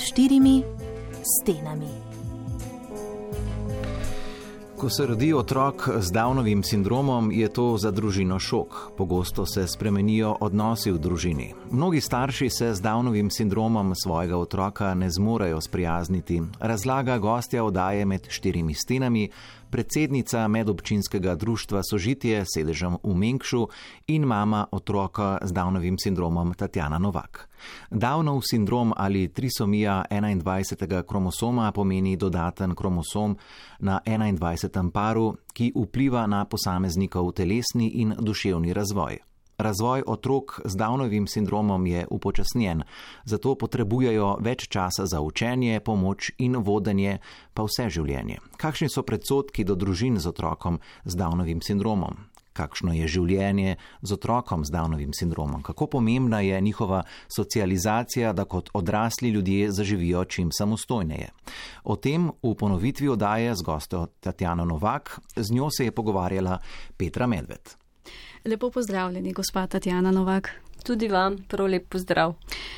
4 stenami. Ko se rodi otrok z Downovim sindromom, je to za družino šok. Pogosto se spremenijo odnosi v družini. Mnogi starši se z Downovim sindromom svojega otroka ne zmorejo sprijazniti, razlaga gostja oddaje Med 4 stenami, predsednica medobčinskega društva Sožitje s sedežem v Mengšu in mama otroka z Downovim sindromom Tatjana Novak. Downov sindrom ali trisomija 21. kromosoma pomeni dodaten kromosom na 21. paru, ki vpliva na posameznikov telesni in duševni razvoj. Razvoj otrok z Downovim sindromom je upočasnjen, zato potrebujejo več časa za učenje, pomoč in vodenje pa vse življenje. Kakšni so predsodki do družin z otrokom z Downovim sindromom? Kakšno je življenje z otrokom z Downovim sindromom? Kako pomembna je njihova socializacija, da kot odrasli ljudje zaživijo čim samostojneje? O tem v ponovitvi oddaje z gostjo Tatjano Novak, z njo se je pogovarjala Petra Medved. Lepo pozdravljeni, gospa Tatjana Novak. Tudi vam, prav lep pozdrav.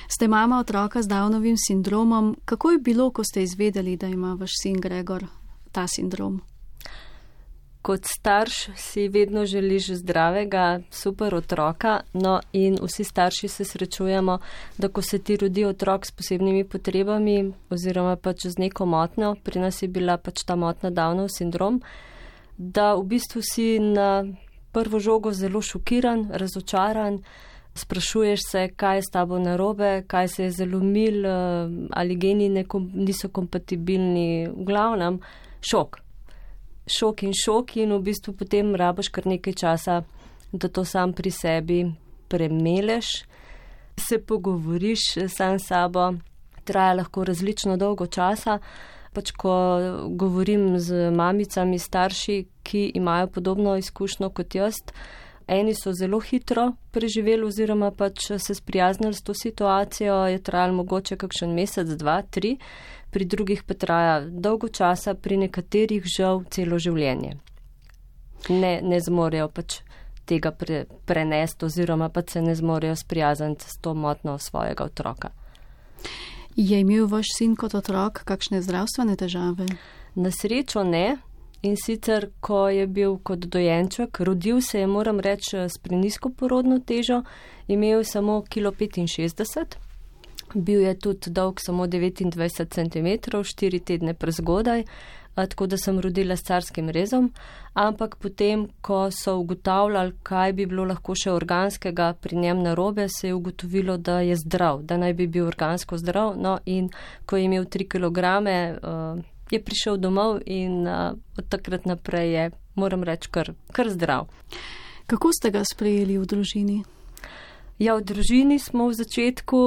Ste mama otroka z Downovim sindromom. Kako je bilo, ko ste izvedeli, da ima vaš sin Gregor ta sindrom? Kot starš si vedno želiš zdravega, super otroka, no in vsi starši se srečujemo, da ko se ti rodi otrok s posebnimi potrebami oziroma pač z neko motnjo, pri nas je bila pač ta motna Downov sindrom, da v bistvu si na prvo žogo zelo šokiran, razočaran, sprašuješ se, kaj je s tabo narobe, kaj se je zalomil, ali geni niso kompatibilni, v glavnem šok. Šok in v bistvu potem rabiš kar nekaj časa, da to sam pri sebi premeleš, se pogovoriš sam s sabo, traja lahko različno dolgo časa. Pač ko govorim z mamicami, starši, ki imajo podobno izkušnjo kot jaz, eni so zelo hitro preživeli oziroma pač se sprijaznili s to situacijo, je trajalo mogoče kakšen mesec, 2, 3, pri drugih pa traja dolgo časa, pri nekaterih žal celo življenje. Ne zmorejo pač tega prenesti oziroma pač se ne zmorejo sprijazniti s to motnjo svojega otroka. Je imel vaš sin kot otrok kakšne zdravstvene težave? Na srečo ne. In sicer, ko je bil kot dojenček, rodil se je, moram reči, s prenizko porodno težo, imel samo 1,65 kg, bil je tudi dolg samo 29 cm, 4 tedne prezgodaj, tako da sem rodila s carskim rezom, ampak potem, ko so ugotavljali, kaj bi bilo lahko še organskega pri njem narobe, se je ugotovilo, da je zdrav, da naj bi bil organsko zdrav, no in ko je imel 3 kilograme, je prišel domov in od takrat naprej je, moram reči, kar zdrav. Kako ste ga sprejeli v družini? Ja, v družini smo v začetku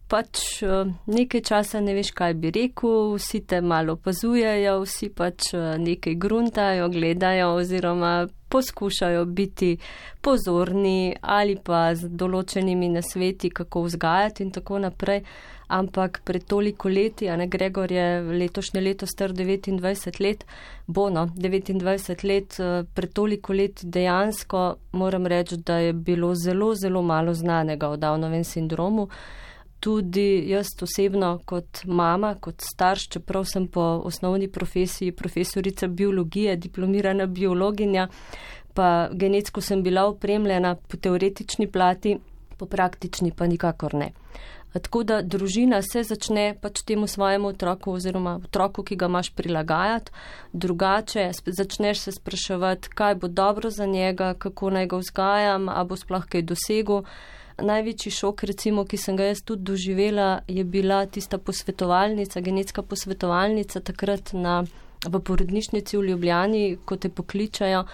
pač nekaj časa ne veš, kaj bi rekel, vsi te malo opazujejo, vsi pač nekaj gruntajo, gledajo oziroma poskušajo biti pozorni ali pa z določenimi nasveti, kako vzgajati in tako naprej. Ampak pred toliko leti, Gregor je letošnje leto star 29 let, 29 let, pred toliko leti dejansko moram reči, da je bilo zelo, zelo malo znanega o Downovem sindromu. Tudi jaz osebno kot mama, kot starš, čeprav sem po osnovni profesiji profesorica biologije, diplomirana biologinja, pa genetsko sem bila opremljena po teoretični plati, po praktični pa nikakor ne. Tako da družina se začne pač temu svojemu otroku oziroma otroku, ki ga imaš, prilagajati drugače, začneš se spraševati, kaj bo dobro za njega, kako naj ga vzgajam, a bo sploh kaj dosegel. Največji šok, recimo, ki sem ga jaz tudi doživela, je bila tista posvetovalnica, genetska posvetovalnica takrat v porodnišnici v Ljubljani, ko te pokličajo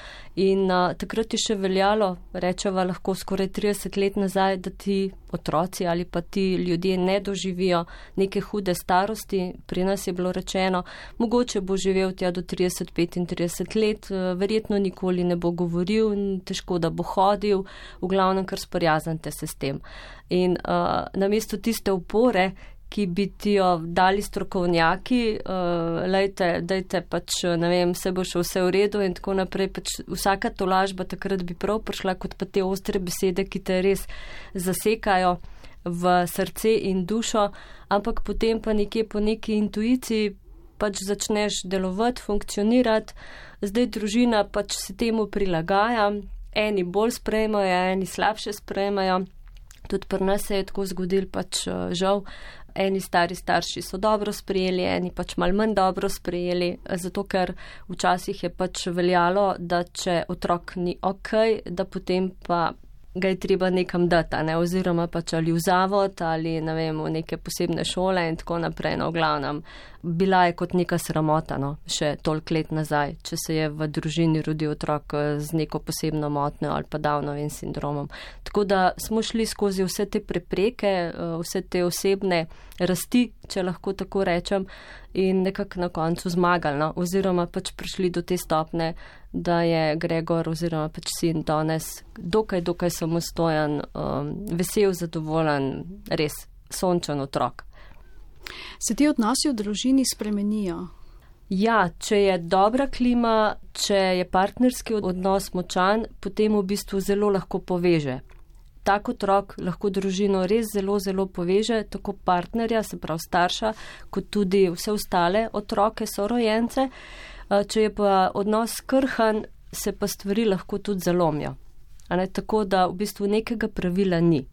in takrat je še veljalo, rečeva lahko skoraj 30 let nazaj, da ti otroci ali pa ti ljudje ne doživijo neke hude starosti. Pri nas je bilo rečeno, mogoče bo živel tja do 30-35 let, verjetno nikoli ne bo govoril, težko da bo hodil, v glavnem kar sprijaznite se s tem. In namesto tiste upore, ki bi ti jo dali strokovnjaki, dajte pač, ne vem, se bo šel vse v redu in tako naprej, pač vsaka tolažba takrat bi prav prišla, kot pa te ostre besede, ki te res zasekajo. v srce in dušo, ampak potem pa nekje po neki intuiciji pač začneš delovati, funkcionirati. Zdaj družina pač se temu prilagaja, eni bolj sprejmajo, eni slabše sprejmajo. Tudi pri nas se je tako zgodil, pač žal, eni stari starši so dobro sprejeli, eni pač malo manj dobro sprejeli, zato ker včasih je pač veljalo, da če otrok ni okej, da potem pa ga je treba nekam dati, oziroma pač ali v zavod ali ne vem, v neke posebne šole in tako naprej. No, v glavnem, bila je kot neka sramota, še toliko let nazaj, če se je v družini rodil otrok z neko posebno motnjo ali pa Downovim sindromom. Tako da smo šli skozi vse te prepreke, vse te osebne rasti, če lahko tako rečem, in nekako na koncu zmagali, oziroma pač prišli do te stopne, da je Gregor oziroma pač sin danes dokaj samostojen, vesel, zadovoljen, res sončen otrok. Se ti odnosi v družini spremenijo? Ja, če je dobra klima, če je partnerski odnos močan, potem v bistvu zelo lahko poveže. Tak otrok lahko družino res zelo poveže, tako partnerja, se pravi starša, kot tudi vse ostale otroke, sorojence. Če je pa odnos krhan, se pa stvari lahko tudi zalomijo. Tako da v bistvu nekega pravila ni.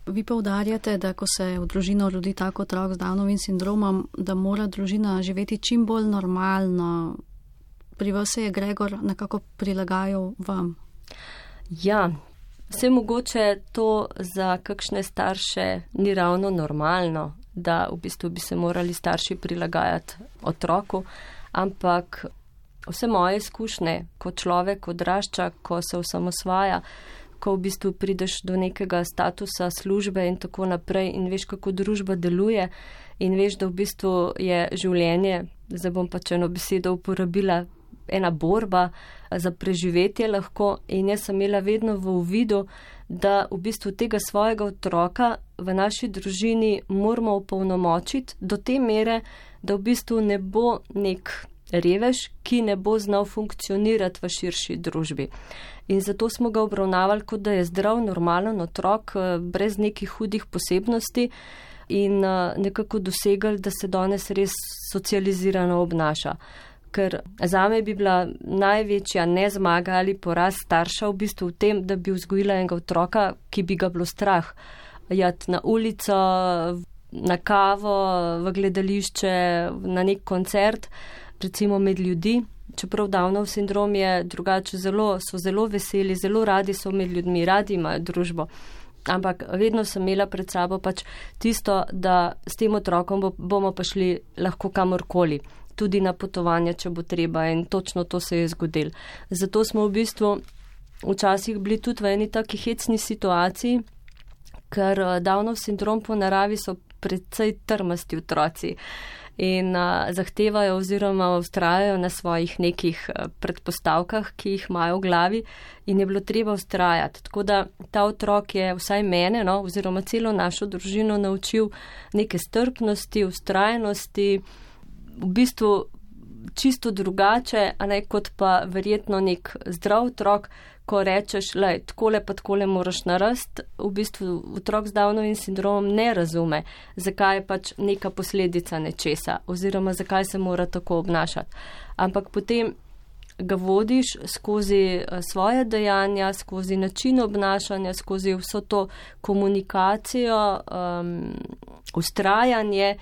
Vi poudarjate, da ko se v družino rodi tak otrok z Downovim sindromom, da mora družina živeti čim bolj normalno. Pri vas se je Gregor nekako prilagajal vam? Ja, vse mogoče to za kakšne starše ni ravno normalno, da v bistvu bi se morali starši prilagajati otroku, ampak vse moje izkušnje, ko človek odrašča, ko se osamosvaja, ko v bistvu prideš do nekega statusa službe in tako naprej in veš, kako družba deluje in veš, da v bistvu je življenje, zdaj bom pač eno besedo uporabila, ena borba za preživetje lahko, in jaz sem imela vedno v uvidu, da v bistvu tega svojega otroka v naši družini moramo opolnomočiti do te mere, da v bistvu ne bo nek revež, ki ne bo znal funkcionirati v širši družbi. In zato smo ga obravnavali, kot da je zdrav, normalen otrok, brez nekih hudih posebnosti in nekako dosegali, da se danes res socializirano obnaša. Ker zame bi bila največja nezmaga ali poraz starša v bistvu v tem, da bi vzgojila enega otroka, ki bi ga bilo strah jati na ulico, na kavo, v gledališče, na nek koncert, recimo med ljudi. Čeprav Downov sindrom je drugače, so zelo veseli, zelo radi so med ljudmi, radi imajo družbo. Ampak vedno sem imela pred sabo pač tisto, da s tem otrokom bomo pa šli lahko kamorkoli, tudi na potovanja, če bo treba, in točno to se je zgodilo. Zato smo v bistvu včasih bili tudi v eni taki hecni situaciji, ker Downov sindrom po naravi so precej trmasti otroci in zahtevajo oziroma vztrajajo na svojih nekih predpostavkah, ki jih imajo v glavi, in je bilo treba vztrajati. Tako da ta otrok je vsaj mene, oziroma celo našo družino naučil neke strpnosti, vztrajnosti, v bistvu čisto drugače, kot pa verjetno nek zdrav otrok, ko rečeš, takole pa takole moraš narediti, v bistvu otrok z Downovim sindromom ne razume, zakaj je pač neka posledica nečesa oziroma zakaj se mora tako obnašati. Ampak potem ga vodiš skozi svoje dejanja, skozi način obnašanja, skozi vso to komunikacijo, vztrajanje,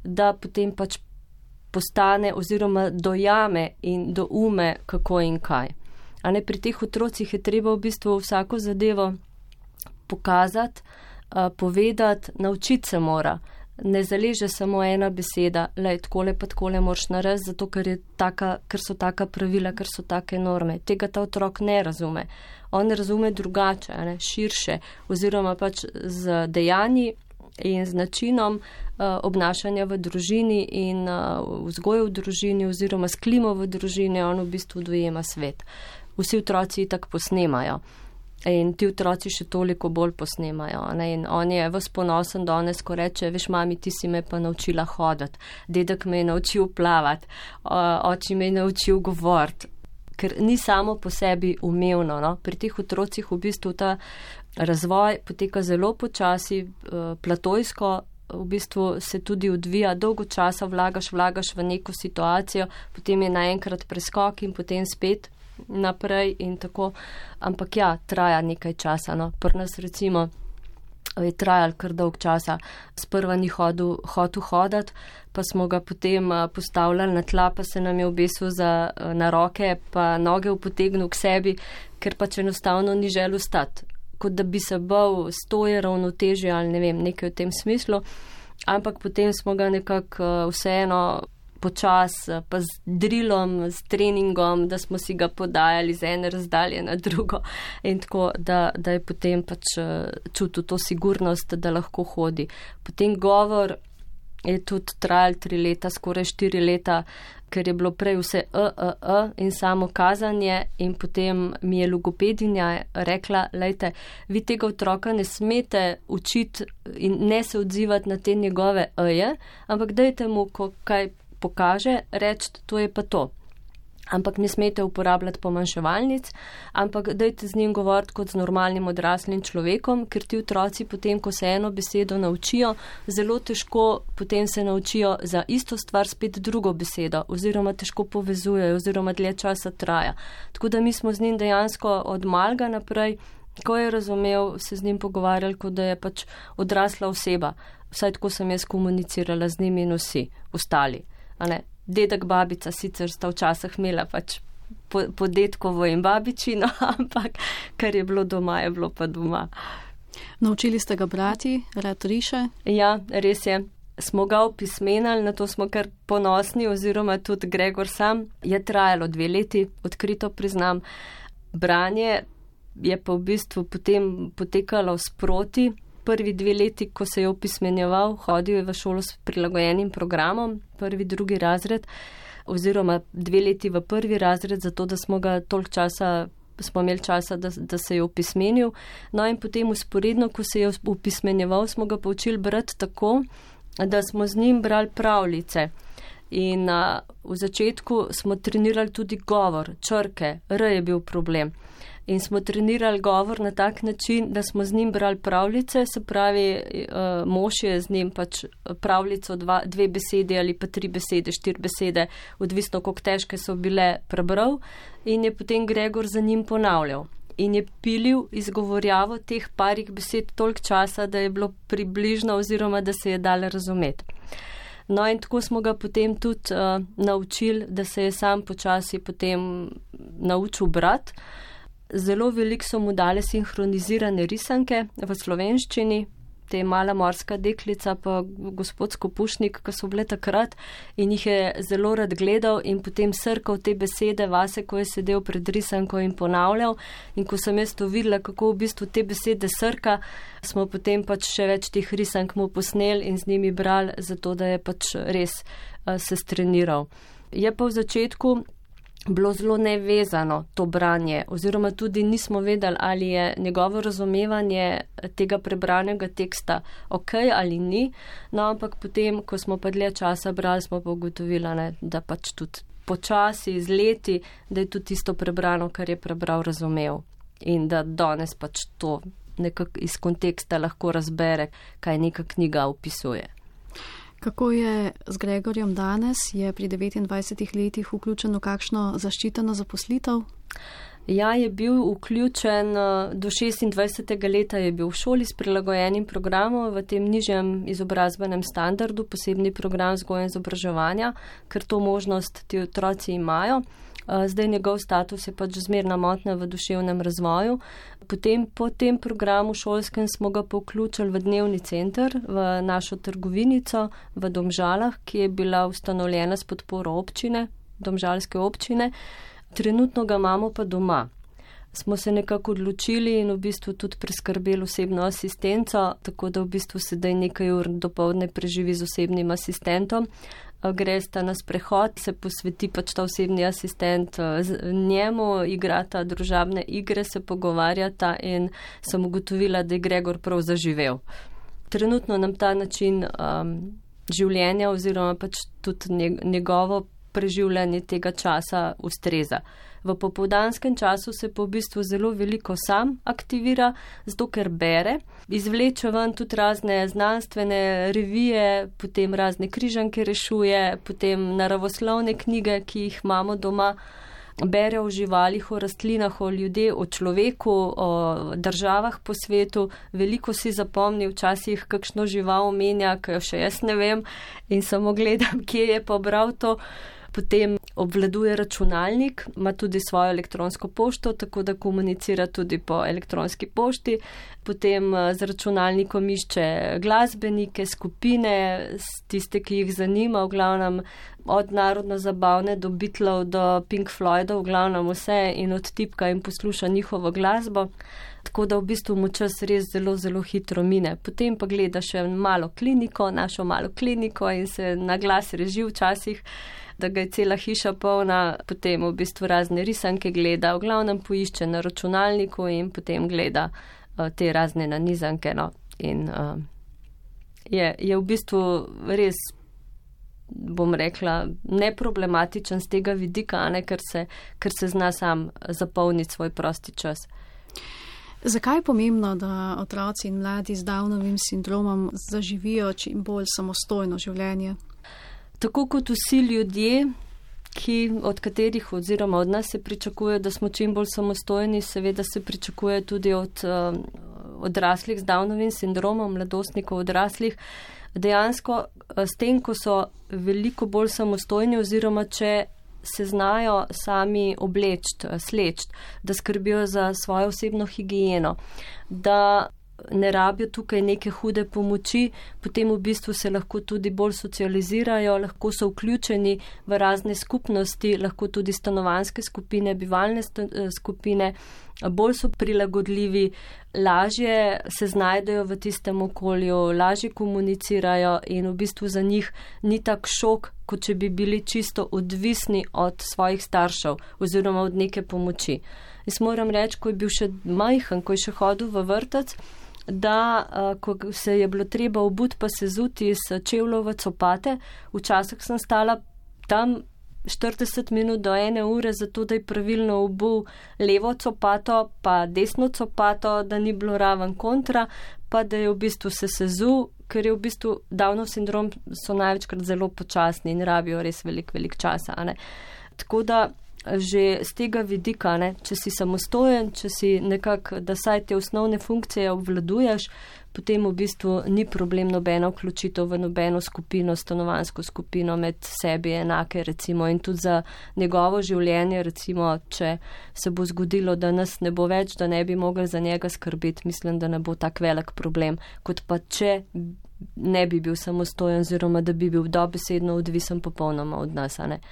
da potem pač postane oziroma dojame in doume, kako in kaj. Pri teh otrocih je treba v bistvu vsako zadevo pokazati, povedati, naučiti se mora. Ne zaleže samo ena beseda, takole pa takole moraš narediti, zato ker so taka pravila, ker so take norme. Tega ta otrok ne razume. On razume drugače, širše, oziroma pač z dejanji in z načinom obnašanja v družini in vzgoje v družini oziroma s klimo v družini, on v bistvu dojema svet. Vsi otroci tako posnemajo in ti otroci še toliko bolj posnemajo. In on je ves ponosen danes, ko reče, veš, mami, ti si me pa naučila hoditi, dedek me je naučil plavati, oči me je naučil govoriti. ker ni samo po sebi umevno. No? Pri teh otrocih v bistvu ta razvoj poteka zelo počasi, platojsko, v bistvu se tudi odvija, dolgo časa vlagaš v neko situacijo, potem je naenkrat preskok in potem spet naprej in tako. Ampak ja, traja nekaj časa. No? Pri nas recimo je trajal kar dolg časa. Sprva ni hotel hodati, pa smo ga potem postavljali na tla, pa se nam je obesil na roke, pa noge upotegnil k sebi, ker pač enostavno ni želel stati. Kot da bi se bal, stoje ravnotežje ali ne vem, nekaj v tem smislu. Ampak potem smo ga nekako vseeno počas, pa z drilom, s treningom, da smo si ga podajali z ene razdalje na drugo in tako, da je potem pač čutil to sigurnost, da lahko hodi. Potem govor je tudi trajal 3 leta, skoraj 4 leta, ker je bilo prej vse in samo kazanje in potem mi je logopedinja rekla, lejte, vi tega otroka ne smete učiti in ne se odzivati na te njegove ampak dajte mu, ko kaj pokaže, reči, to je pa to. Ampak ne smete uporabljati pomanjševalnic, ampak dajte z njim govoriti kot z normalnim odraslim človekom, ker ti otroci potem, ko se eno besedo naučijo, zelo težko potem se naučijo za isto stvar spet drugo besedo, oziroma težko povezujejo, oziroma dlje časa traja. Tako da mi smo z njim dejansko od malega naprej, ko je razumel, se z njim pogovarjali, kot da je pač odrasla oseba. Vsaj tako sem jaz komunicirala z njimi in vsi ostali. Dedek, babica sicer sta včasih imela pač po dedkovo in babičino, ampak kar je bilo doma, je bilo pa doma. Naučili ste ga brati, rad riše? Ja, res je. Smo ga opismenali, na to smo kar ponosni, oziroma tudi Gregor sam. Je trajalo 2 leti, odkrito priznam. Branje je pa v bistvu potem potekalo sproti. Prvi 2 leti, ko se je opismenjeval, hodil je v šolo s prilagojenim programom, 1., 2. razred, oziroma 2 leti v 1. razred, zato da smo ga toliko časa, smo imeli časa, da se je opismenil. No in potem usporedno, ko se je opismenjeval, smo ga poučili brati tako, da smo z njim brali pravljice. In v začetku smo trenirali tudi govor, črke, je bil problem. In smo trenirali govor na tak način, da smo z njim brali pravljice, se pravi, mož je z njim pač pravljico 2 besede ali pa 3 besede, 4 besede, odvisno, koliko težke so bile, prebral in je potem Gregor za njim ponavljal. In je pilil izgovorjavo teh parih besed toliko časa, da je bilo približno oziroma da se je dalo razumeti. No in tako smo ga potem tudi naučili, da se je sam počasi potem naučil brati. Zelo veliko so mu dale sinhronizirane risanke v slovenščini, te Mala morska deklica pa gospod Skopušnik, ki so bile takrat in jih je zelo rad gledal in potem srkal te besede vase, ko je sedel pred risanko in ponavljal. In ko sem jaz to videla, kako v bistvu te besede srka, smo potem pač še več teh risank mu posneli in z njimi brali, zato da je pač res se streniral. Je pa v začetku bilo zelo nevezano to branje, oziroma tudi nismo vedeli, ali je njegovo razumevanje tega prebranega teksta ok ali ni, no ampak potem, ko smo pa dlje časa brali, smo pa ugotovili, da pač tudi počasi, z leti, da je tudi tisto prebrano, kar je prebral, razumel in da danes pač to nekako iz konteksta lahko razbere, kaj neka knjiga opisuje. Kako je z Gregorjem danes? Je pri 29 letih vključen v kakšno zaščiteno zaposlitev? Ja, je bil vključen do 26. leta, je bil v šoli s prilagojenim programom v tem nižjem izobrazbenem standardu, posebni program vzgoje in izobraževanja, ker to možnost ti otroci imajo. Zdaj njegov status je pač zmerna motnja v duševnem razvoju. Potem po tem programu šolskem smo ga pa vključili v dnevni center, v našo trgovinico v Domžalah, ki je bila ustanovljena s podporo občine, domžalske občine. Trenutno ga imamo pa doma. Smo se nekako odločili in v bistvu tudi preskrbeli osebno asistenco, tako da v bistvu sedaj nekaj ur dopoldne preživi z osebnim asistentom. Gresta na sprehod, se posveti pač ta osebni asistent njemu, igrata družabne igre, se pogovarjata in sem ugotovila, da je Gregor prav zaživel. Trenutno nam ta način življenja oziroma pač tudi njegovo preživljanje tega časa ustreza. V popoldanskem času se pa v bistvu zelo veliko sam aktivira, zato ker bere, izvleče ven tudi razne znanstvene revije, potem razne križanke rešuje, potem naravoslovne knjige, ki jih imamo doma, bere o živalih, o rastlinah, o ljudeh, o človeku, o državah po svetu, veliko si zapomni, včasih kakšno žival omenja, ki jo še jaz ne vem in samo gledam, kje je pa bral to. Potem obvladuje računalnik, ima tudi svojo elektronsko pošto, tako da komunicira tudi po elektronski pošti. Potem z računalnikom išče glasbenike, skupine, tiste, ki jih zanima, v glavnem od narodno-zabavne do Beatlov do Pink Floydov, v glavnem vse in odtipka in posluša njihovo glasbo. Tako da v bistvu mu čas res zelo, zelo hitro mine. Potem pa gleda še malo kliniko, našo malo kliniko in se na glas reži včasih, da ga je cela hiša polna, potem v bistvu razne risanke gleda, v glavnem poišče na računalniku in potem gleda te razne nanizanke. No. In je v bistvu res, bom rekla, neproblematičen z tega vidika, ne, ker se zna sam zapolniti svoj prosti čas. Zakaj je pomembno, da otroci in mladi z Downovim sindromom zaživijo čim bolj samostojno življenje? Tako kot vsi ljudje, od katerih oziroma od nas se pričakuje, da smo čim bolj samostojni, seveda se pričakuje tudi od odraslih z Downovim sindromom, mladostnikov odraslih, dejansko s tem, ko so veliko bolj samostojni oziroma če se znajo sami obleči, sleči, da skrbijo za svojo osebno higieno, da ne rabijo tukaj neke hude pomoči, potem v bistvu se lahko tudi bolj socializirajo, lahko so vključeni v razne skupnosti, lahko tudi stanovanjske skupine, bivalne skupine, bolj so prilagodljivi, lažje se znajdejo v tistem okolju, lažje komunicirajo in v bistvu za njih ni tak šok, kot če bi bili čisto odvisni od svojih staršev oziroma od neke pomoči. Jaz moram reči, ko je bil še majhen, ko je še hodil v vrtec, da ko se je bilo treba obuti pa se zuti iz čevljev v copate, včasih sem stala tam 40 minut do 1 ure, zato da je pravilno obul levo copato, pa desno copato, da ni bilo raven kontra, pa da je v bistvu se sezul, ker je v bistvu Downov sindrom so največkrat zelo počasni in rabijo res velik časa. Ne? Tako da že z tega vidika, ne, če si samostojen, če si nekako, da saj te osnovne funkcije obvladuješ, potem v bistvu ni problem nobena vključitev v nobeno skupino, stanovanjsko skupino med sebi enake, recimo, in tudi za njegovo življenje, recimo, če se bo zgodilo, da nas ne bo več, da ne bi mogli za njega skrbeti, mislim, da ne bo tak velik problem, kot pa če ne bi bil samostojen, oziroma da bi bil dobesedno odvisen popolnoma od nas, a ne.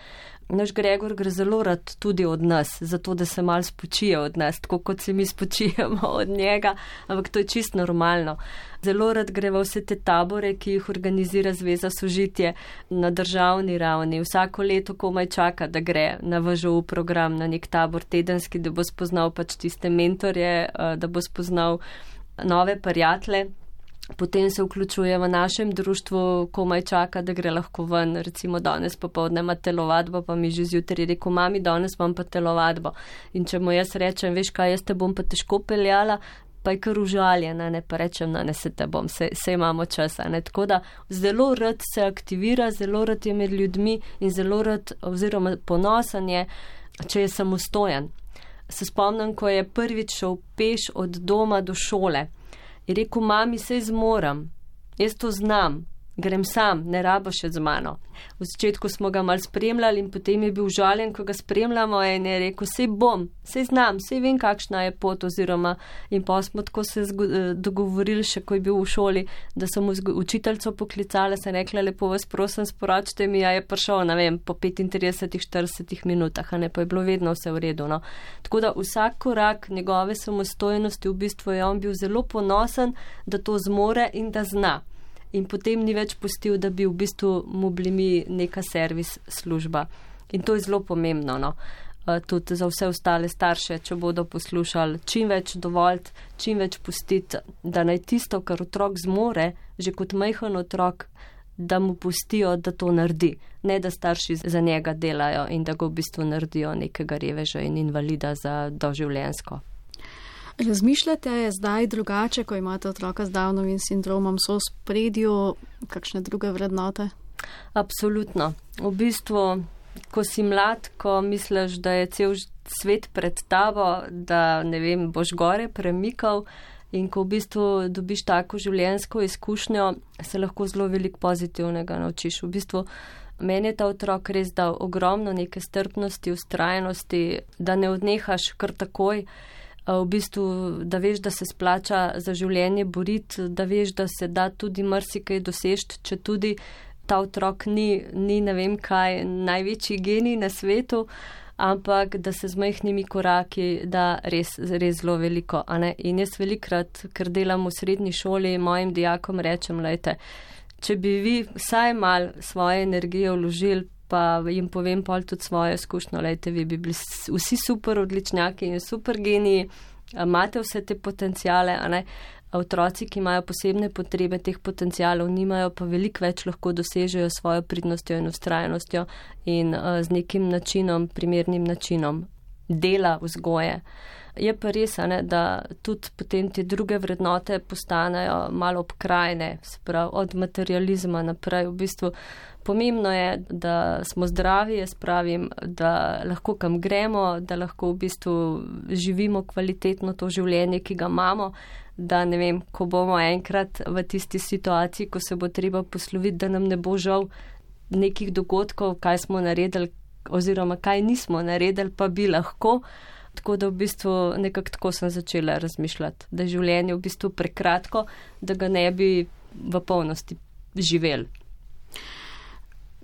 Naš Gregor gre zelo rad tudi od nas, zato da se malo spočije od nas, tako kot se mi spočijemo od njega, ampak to je čisto normalno. Zelo rad gre v vse te tabore, ki jih organizira Zveza Sožitje na državni ravni. Vsako leto komaj čaka, da gre na VŽU program, na nek tabor tedenski, da bo spoznal pač tiste mentorje, da bo spoznal nove prijatelje. Potem se vključuje v našem društvu, komaj čaka, da gre lahko ven, recimo danes popoldne ima telovadbo, pa mi že zjutraj rekel, mami, danes imam pa telovadbo. In če mu jaz rečem, veš kaj, jaz te bom pa težko peljala, pa je kar užaljena, ne, pa rečem, ne se te bom, se imamo časa, ne. Tako da zelo rad se aktivira, zelo rad je med ljudmi in zelo rad, oziroma ponosen je, če je samostojen. Se spomnim, ko je prvič šel peš od doma do šole. Je rekel, mami, sej zmoram, jaz to znam, grem sam, ne rabiš še z mano. V začetku smo ga mal spremljali in potem je bil žaljen, ko ga spremljamo in je rekel, sej bom, sej znam, sej vem, kakšna je pot oziroma in pa smo tako se dogovorili še, ko je bil v šoli, da sem učiteljico poklicala, sem rekla, lepo vas prosim, sporočite mi, a je prišel, ne vem, po 35-40 minutah, a ne, pa je bilo vedno vse v redu, no. Tako da vsak korak njegove samostojnosti v bistvu je on bil zelo ponosen, da to zmore in da zna. In potem ni več pustil, da bi v bistvu mu bili mi neka servis služba. In to je zelo pomembno, no. Tudi za vse ostale starše, če bodo poslušali, čim več dovoljiti, čim več pustiti, da naj tisto, kar otrok zmore, že kot majhen otrok, da mu pustijo, da to naredi, ne da starši za njega delajo in da ga v bistvu naredijo nekega reveža in invalida za doživljenjsko. Razmišljate zdaj drugače, ko imate otroka z Downovim sindromom, so v spredju kakšne druge vrednote? Absolutno. V bistvu, ko si mlad, ko misliš, da je cel svet pred tabo, da, ne vem, boš gore premikal in ko v bistvu dobiš tako življenjsko izkušnjo, se lahko zelo veliko pozitivnega naučiš. V bistvu, meni je ta otrok res dal ogromno neke strpnosti, vztrajnosti, da ne odnehaš kar takoj, v bistvu, da veš, da se splača za življenje boriti, da veš, da se da tudi marsikaj dosežiti, če tudi ta otrok ni ne vem kaj, največji genij na svetu, ampak da se z majhnimi koraki da res zelo veliko. In jaz velikrat, ker delam v srednji šoli, mojim dijakom rečem, lejte, če bi vi vsaj mal svoje energije vložili, pa jim povem pol tudi svojo izkušnjo, lejte, vi bi bili vsi super odličnjaki in super geniji, imate vse te potencijale, otroci, ki imajo posebne potrebe, teh potencijalov nimajo, pa veliko več lahko dosežejo svojo pridnostjo in vztrajnostjo in z nekim načinom, primernim načinom dela, vzgoje. Je pa res, da tudi potem te druge vrednote postanejo malo obkrajne, sprav, od materializma naprej. V bistvu pomembno je, da smo zdravi, jaz pravim, da lahko kam gremo, da lahko v bistvu živimo kvalitetno to življenje, ki ga imamo, da ne vem, ko bomo enkrat v tisti situaciji, ko se bo treba posloviti, da nam ne bo žal nekih dogodkov, kaj smo naredili oziroma kaj nismo naredili, pa bi lahko. Tako da v bistvu nekako tako sem začela razmišljati, da je življenje v bistvu prekratko, da ga ne bi v polnosti živeli.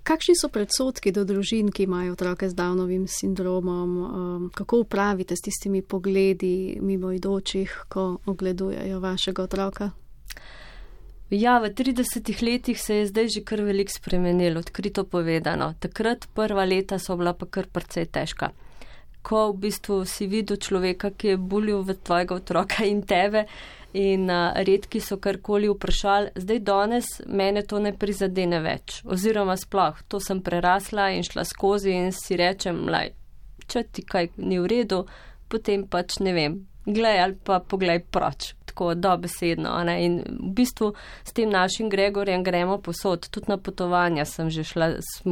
Kakšni so predsodki do družin, ki imajo otroke z Downovim sindromom? Kako upravite s tistimi pogledi mimoidočih, ko ogledujejo vašega otroka? Ja, v 30 letih se je zdaj že kar veliko spremenilo, odkrito povedano. Takrat prva leta so bila pa kar precej težka. Ko v bistvu si videl človeka, ki je bulil v tvojega otroka in tebe in redki so karkoli vprašali, zdaj danes mene to ne prizadene več. Oziroma sploh, to sem prerasla in šla skozi in si rečem, če ti kaj ni v redu, potem pač ne vem, glej ali pa poglej proč. Tako dobesedno. In v bistvu s tem našim Gregorjem gremo posod. Tudi na potovanja smo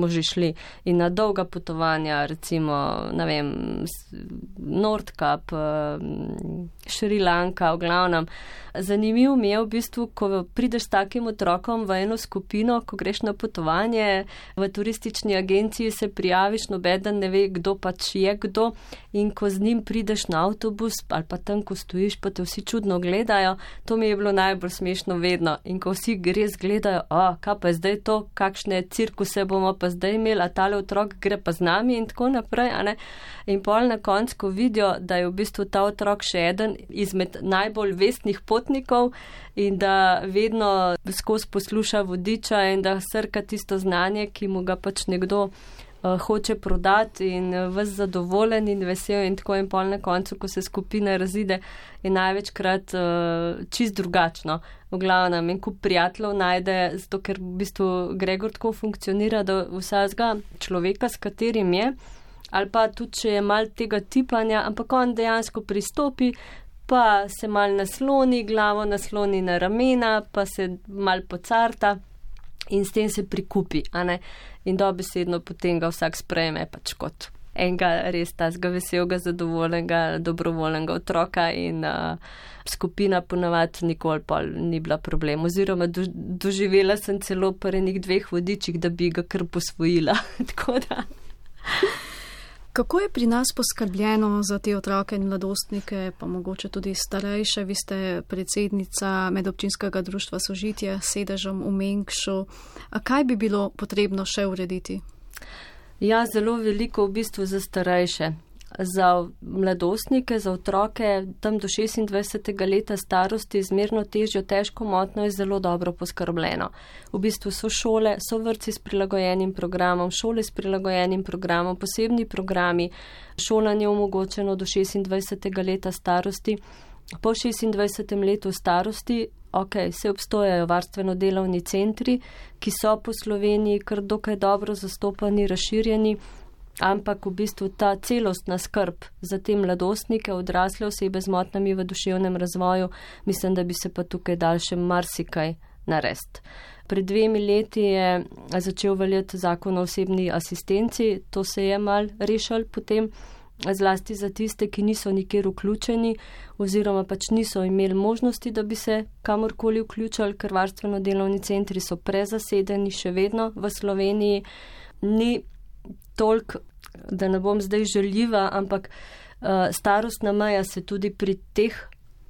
že šli in na dolga potovanja, recimo, ne vem, Nordkap, Šri Lanka, v glavnem. Zanimivo mi je v bistvu, ko prideš s takim otrokom v eno skupino, ko greš na potovanje, v turistični agenciji se prijaviš, nobeden ne ve, kdo pač je kdo in ko z njim prideš na avtobus ali pa tam, ko stojiš, pa te vsi čudno gledajo, to mi je bilo najbolj smešno vedno. In ko vsi res gledajo, kaj pa je zdaj to, kakšne cirkuse bomo pa zdaj imeli, a tale otrok gre pa z nami in tako naprej, In pol na koncu, ko vidijo, da je v bistvu ta otrok še eden izmed najbolj vestnih potnikov in da vedno skozi posluša vodiča in da srka tisto znanje, ki mu ga pač nekdo hoče prodati in ves zadovoljen in vesel in tako in pol na koncu, ko se skupina razide, je največkrat čist drugačno. V glavnem in kup prijateljev najde, zato ker v bistvu Gregor tako funkcionira, da vsakega človeka, s katerim je, ali pa tudi, če je mal tega tipanja, ampak on dejansko pristopi, pa se mal nasloni, glavo nasloni na ramena, pa se mal pocarta in s tem se prikupi, In dobesedno potem ga vsak sprejme pač kot enega res tazga veselega, zadovoljnega, dobrovoljnega otroka in skupina ponavadi nikoli pol ni bila problem. Oziroma doživela sem celo pri enih 2 vodičih, da bi ga kar posvojila. Tako da... Kako je pri nas poskrbljeno za te otroke in mladostnike, pa mogoče tudi starejše? Vi ste predsednica Medobčinskega društva Sožitje s sedežem v Mengšu. A kaj bi bilo potrebno še urediti? Ja, zelo veliko v bistvu za starejše. Za mladostnike, za otroke tam do 26. leta starosti zmerno težjo težko motnjo je zelo dobro poskrbljeno. V bistvu so šole, so vrtci s prilagojenim programom, šole s prilagojenim programom, posebni programi, šolanje omogočeno do 26. leta starosti. Po 26. letu starosti se obstojajo varstveno-delovni centri, ki so po Sloveniji kar dokaj dobro zastopani, razširjeni, ampak v bistvu ta celostna skrb za te mladostnike, odrasle osebe z motnjami v duševnem razvoju, mislim, da bi se pa tukaj dal še marsikaj narediti. Pred 2 leti je začel veljati zakon o osebni asistenci, to se je mal rešil potem, zlasti za tiste, ki niso nikjer vključeni oziroma pač niso imeli možnosti, da bi se kamorkoli vključili, ker varstveno-delovni centri so prezasedeni še vedno v Sloveniji. Ni toliko, da ne bom zdaj žaljiva, ampak starostna meja se tudi pri teh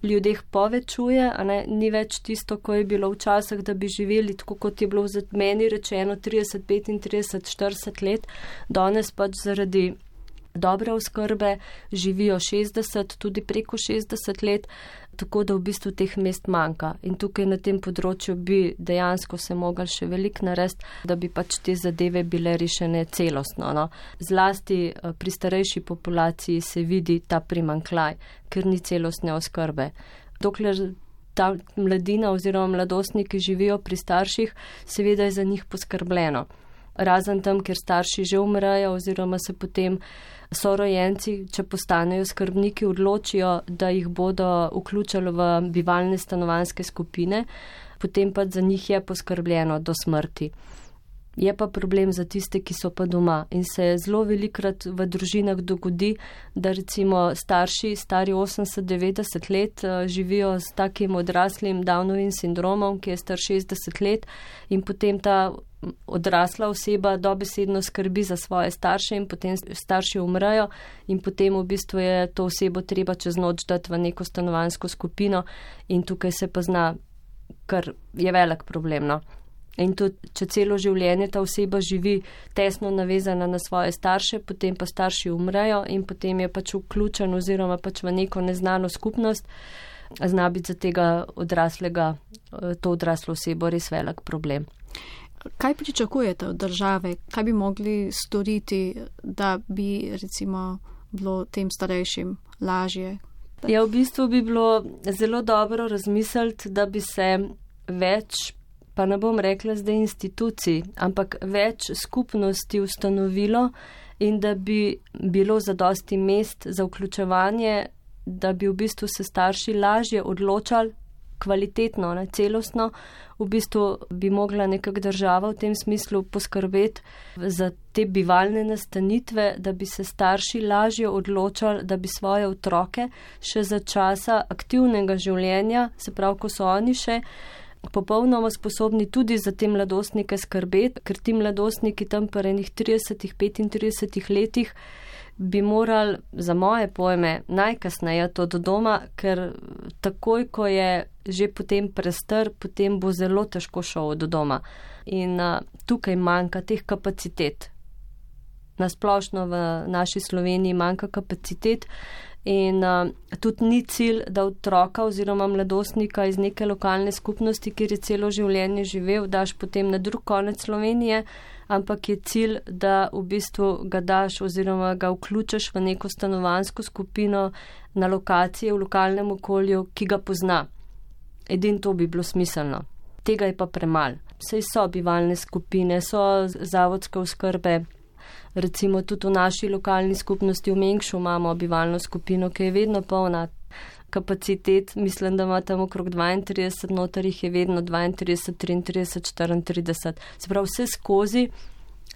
ljudeh povečuje, a ne, ni več tisto, ko je bilo včasih, da bi živeli tako, kot je bilo za meni rečeno 30, 35, 40 let, danes pač zaradi dobre oskrbe živijo 60, tudi preko 60 let, tako da v bistvu teh mest manjka. In tukaj na tem področju bi dejansko se mogli še veliko narediti, da bi pač te zadeve bile rešene celostno. No. Zlasti pri starejši populaciji se vidi ta primanjkljaj, ker ni celostne oskrbe. Dokler ta mladina oziroma mladostniki živijo pri starših, seveda je za njih poskrbljeno. Razen tam, kjer starši že umrejo oziroma se potem sorojenci, če postanejo skrbniki, odločijo, da jih bodo vključili v bivalne stanovanjske skupine, potem pa za njih je poskrbljeno do smrti. Je pa problem za tiste, ki so pa doma in se zelo velikrat v družinah dogodi, da recimo starši, stari 80-90 let, živijo s takim odraslim Downovim sindromom, ki je star 60 let in potem ta odrasla oseba dobesedno skrbi za svoje starše in potem starši umrejo in potem v bistvu je to osebo treba čez noč dati v neko stanovanjsko skupino in tukaj se pa zna, kar je velik problem. No. In tudi, če celo življenje ta oseba živi tesno navezana na svoje starše, potem pa starši umrejo in potem je pač vključen oziroma pač v neko neznano skupnost, zna biti za tega odraslega, to odraslo osebo res velik problem. Kaj pričakujete od države? Kaj bi mogli storiti, da bi recimo bilo tem starejšim lažje? Ja, v bistvu bi bilo zelo dobro razmisliti, da bi se več, pa ne bom rekla zdaj institucij, ampak več skupnosti ustanovilo in da bi bilo zadosti mest za vključevanje, da bi v bistvu se starši lažje odločali kvalitetno, ne, celostno, v bistvu bi mogla nekako država v tem smislu poskrbeti za te bivalne nastanitve, da bi se starši lažje odločali, da bi svoje otroke še za časa aktivnega življenja, se pravi, ko so oni še popolnoma sposobni tudi za te mladostnike skrbeti, ker ti mladostniki tam po enih 30-35 letih bi morali, za moje pojme, najkasneje to do doma, ker takoj, ko je že potem prestar, potem bo zelo težko šel do doma. In tukaj manjka teh kapacitet. Nasplošno v naši Sloveniji manjka kapacitet in tudi ni cilj, da otroka oziroma mladostnika iz neke lokalne skupnosti, kjer je celo življenje živel, daš potem na drug konec Slovenije, ampak je cilj, da v bistvu ga daš oziroma ga vključiš v neko stanovanjsko skupino na lokaciji, v lokalnem okolju, ki ga pozna. Edin to bi bilo smiselno. Tega je pa premalo. Saj so bivalne skupine, so zavodske oskrbe. Recimo tudi v naši lokalni skupnosti v Mengšu imamo bivalno skupino, ki je vedno polna kapacitet. Mislim, da ima tam okrog 32, noter jih je vedno 32, 33, 34. Se pravi, vse skozi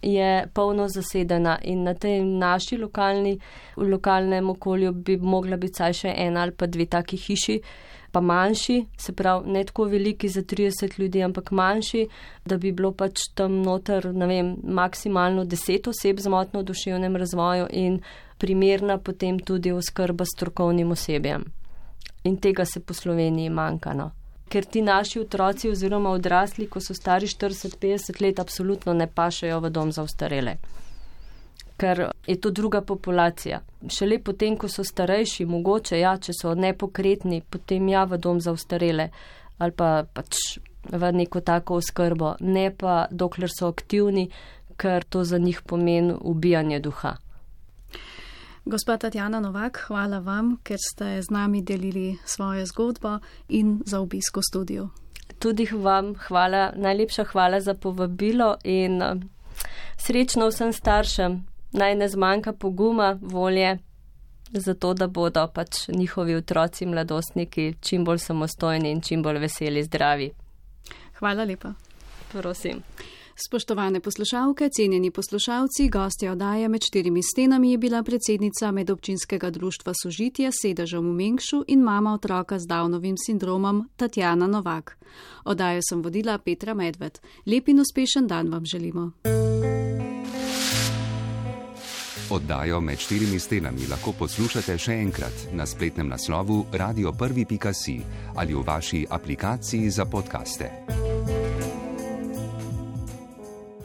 je polno zasedena in na tej naši v lokalnem okolju bi mogla biti saj še ena ali pa dve taki hiši, pa manjši, se pravi, ne tako veliki za 30 ljudi, ampak manjši, da bi bilo pač tam noter, ne vem, maksimalno 10 oseb z motnjo v duševnem razvoju in primerna potem tudi oskrba s strokovnim osebjem. In tega se po Sloveniji manjka, no. Ker ti naši otroci oziroma odrasli, ko so stari 40-50 let, absolutno ne pašejo v dom za ostarele. Ker je to druga populacija. Šele potem, ko so starejši, mogoče, ja, če so nepokretni, potem ja v dom za ostarele ali pa pač v neko tako oskrbo, ne pa dokler so aktivni, ker to za njih pomeni ubijanje duha. Gospa Tatjana Novak, hvala vam, ker ste z nami delili svojo zgodbo in za obisk v studiu. Tudi vam hvala, najlepša hvala za povabilo in srečno vsem staršem. Naj ne zmanjka poguma, volje, zato da bodo pač njihovi otroci, mladostniki čim bolj samostojni in čim bolj veseli, zdravi. Hvala lepa. Prosim. Spoštovane poslušalke, cenjeni poslušalci, gostja oddaje Med štirimi stenami je bila predsednica Medobčinskega društva Sožitje s sedežem v Mengšu in mama otroka z Downovim sindromom Tatjana Novak. Oddajo sem vodila Petra Medved. Lep in uspešen dan vam želimo. Oddajo Med štirimi stenami lahko poslušate še enkrat na spletnem naslovu radio1.si ali v vaši aplikaciji za podcaste.